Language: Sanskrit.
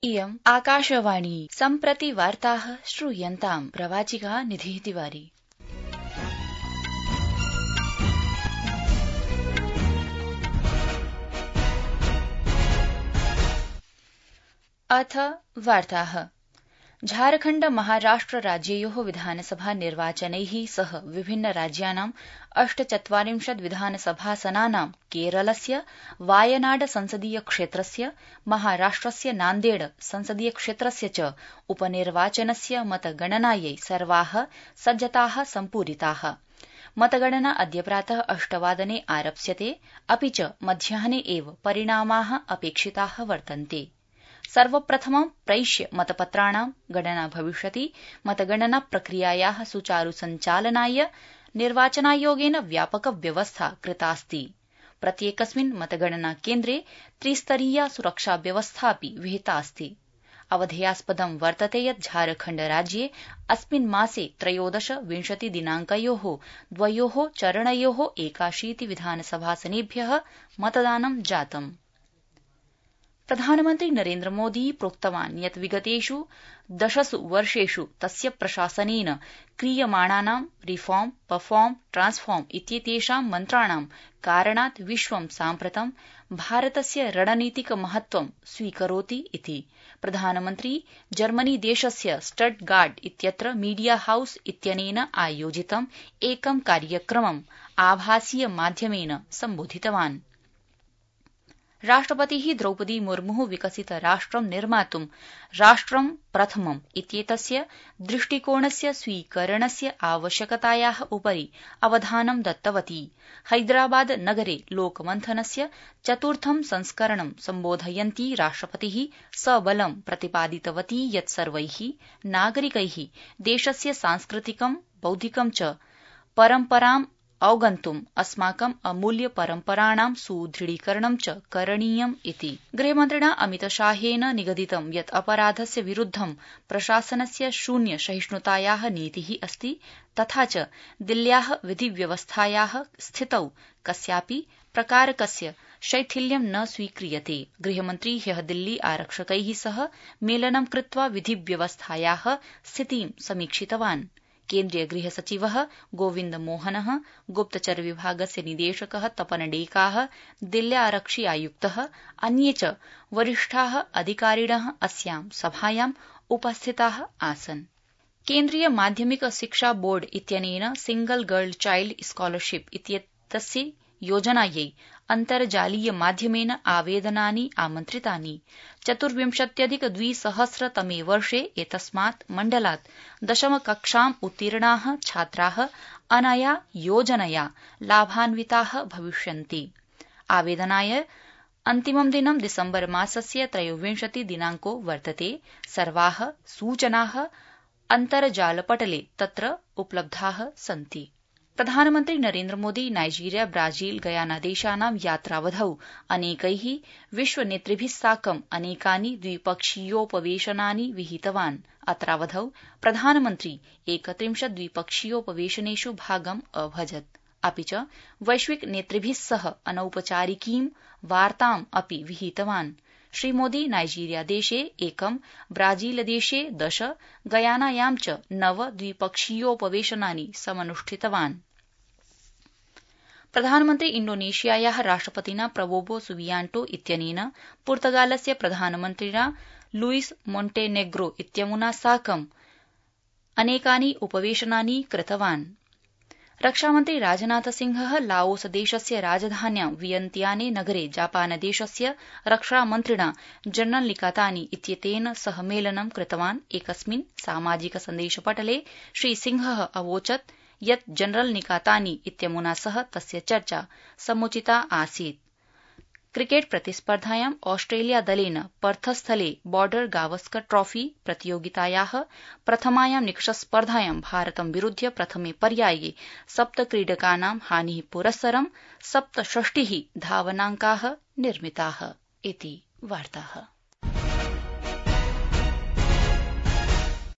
इयम् आकाशवाणी सम्प्रति वार्ताः श्रूयन्ताम् प्रवाचिका निधिः तिवारी। अथ वार्ताः। झारखण्ड महाराष्ट्र राज्ययोः विधानसभा निर्वाचनैः सह विभिन्न राज्यानां 48 विधानसभासनानां केरलस्य वायनाड संसदीय क्षेत्रस्य महाराष्ट्रस्य नान्देड संसदीय क्षेत्रस्य च उपनिर्वाचनस्य मतगणनायै सर्वाः सज्जताः सम्पूरिताः। मतगणना अद्य प्रातः 8 वादने आरप्स्यते, अपि च मध्याह्ने एव परिणामाः अपेक्षिताः वर्तन्ते। सर्वप्रथमं प्रैष्य मतपत्राणां गणना भविष्यति। मतगणना प्रक्रियायाः सुचारु सञ्चालनाय निर्वाचनायोगेन व्यापक व्यवस्था कृतास्ति। प्रत्येकस्मिन् मतगणना केन्द्रे त्रिस्तरीया सुरक्षा व्यवस्थापि विहितास्ति। अवधेयास्पदं वर्तते यत् झारखण्ड राज्ये अस्मिन् मासे 13-20 दिनाङ्कयोः द्वयोः चरणयोः 81 विधानसभासनेभ्यः मतदानं जातम्। प्रधानमन्त्री नरेन्द्र मोदी प्रोक्तवान् यत् विगतेषु 10 वर्षेषु तस्य प्रशासनेन क्रियमाणानां रिफॉर्म, परफॉर्म, ट्रांसफॉर्म इत्येतेषां मन्त्राणां कारणात् विश्वं साम्प्रतं भारतस्य रणनीतिक महत्वं स्वीकरोति इति। प्रधानमन्त्री जर्मनी देशस्य स्टटगार्ट इत्यत्र मीडिया हाउस इत्यनेन आयोजितं एकं कार्यक्रमम् आभासीय माध्यमेन सम्बोधितवान्। राष्ट्रपतिः द्रौपदी मुर्मुः विकसित राष्ट्रं निर्मातुं राष्ट्रं प्रथमम् इत्येतस्य दृष्टिकोणस्य स्वीकरणस्य आवश्यकतायाः उपरि अवधानं दत्तवती। हैदराबाद नगरे लोकमन्थनस्य 4थं संस्करणं सम्बोधयन्ती राष्ट्रपतिः सबलं प्रतिपादितवती यत् सर्वैः नागरिकैः देशस्य सांस्कृतिकं, बौद्धिकं च परम्पराम् अवगन्तुम् अस्माकम् अमूल्य परम्पराणां सुदृढीकरणं च करणीयम् इति। गृहमन्त्रिणा अमितशाहेन निगदितं यत् अपराधस्य विरुद्धं प्रशासनस्य शून्य सहिष्णुतायाः नीतिः अस्ति, तथा च दिल्ल्याः विधिव्यवस्थायाः स्थितौ कस्यापि प्रकारकस्य शैथिल्यं न स्वीक्रियते। गृहमन्त्री ह्यः दिल्ली आरक्षकैः सह मेलनं कृत्वा विधिव्यवस्थायाः स्थितिं समीक्षितवान्। केन्द्रीय गृहसचिवः गोविन्द मोहनः, गुप्तचर विभागस्य निदेशकः तपन डेकाः, दिल्ल्यारक्षि आयुक्तः, अन्ये च वरिष्ठाः अधिकारिणः अस्यां सभायाम् उपस्थिताः आसन्। केन्द्रीय माध्यमिक शिक्षा बोर्ड इत्यनेन सिंगल गर्ल चाइल्ड स्कॉलरशिप इत्येतस्य योजनायै अन्तर्जालीय माध्यमेन आवेदनानि आमन्त्रितानि। 24,200 तमे वर्षे एतस्मात् मण्डलात् 10म कक्षाम् उत्तीर्णाः छात्राः अनया योजनया लाभान्विताः भविष्यन्ति। आवेदनाय अन्तिमं दिनं दिसम्बर मासस्य 23 दिनाङ्को वर्तते। सर्वाः सूचनाः अन्तर्जालपटले तत्र उपलब्धाः सन्ति। प्रधानमन्त्री Narendra Modi Nigeria, Brazil, Guyana देशानां यात्रावधौ अनेकैः विश्वनेतृभिः साकं अनेकानि द्विपक्षीयोपवेशनानि विहितवान्। अत्रावधौ प्रधानमन्त्री 31 द्विपक्षीयोपवेशनेषु भागम् अभजत्, अपि च वैश्विक नेतृभिः सह अनौपचारिकीं वार्ताम् अपि विहितवान्। श्रीमोदी नाइजीरिया देशे 1, ब्राजीलदेशे 10, गयानायां च 9 द्विपक्षीयोपवेशनानि समनुष्ठितवान्। प्रधानमन्त्री इण्डोनेशियायाः राष्ट्रपतिना प्रबोवो सुबियांटो इत्यनेन पुर्तगालस्य प्रधानमन्त्रिणा लुईस मोन्टेनेग्रो इत्यमुना साकं अनेकानि उपवेशनानि कृतवान्। रक्षामन्त्री राजनाथसिंहः लाओस देशस्य राजधान्यां वियन्तियाने नगरे जापानदेशस्य रक्षामन्त्रिणा जनरल निकातानी इत्येतेन सह मेलनं कृतवान्। एकस्मिन् सामाजिक सन्देशपटले श्रीसिंहः अवोचत् यत् जनरल निकातानी इत्यमुना सह तस्य चर्चा समुचिता आसीत्। क्रिकेट प्रतिस्पर्धायां ऑस्ट्रेलिया दलेन पर्थस्थले बॉर्डर गावस्कर ट्रॉफी प्रतियोगितायाः प्रथमायां निकषस्पर्धायां भारतं विरुध्य प्रथमे पर्याये 7 क्रीडकानां हानिः पुरस्सरं 67 धावनाङ्काः निर्मिताः इति वार्ताः।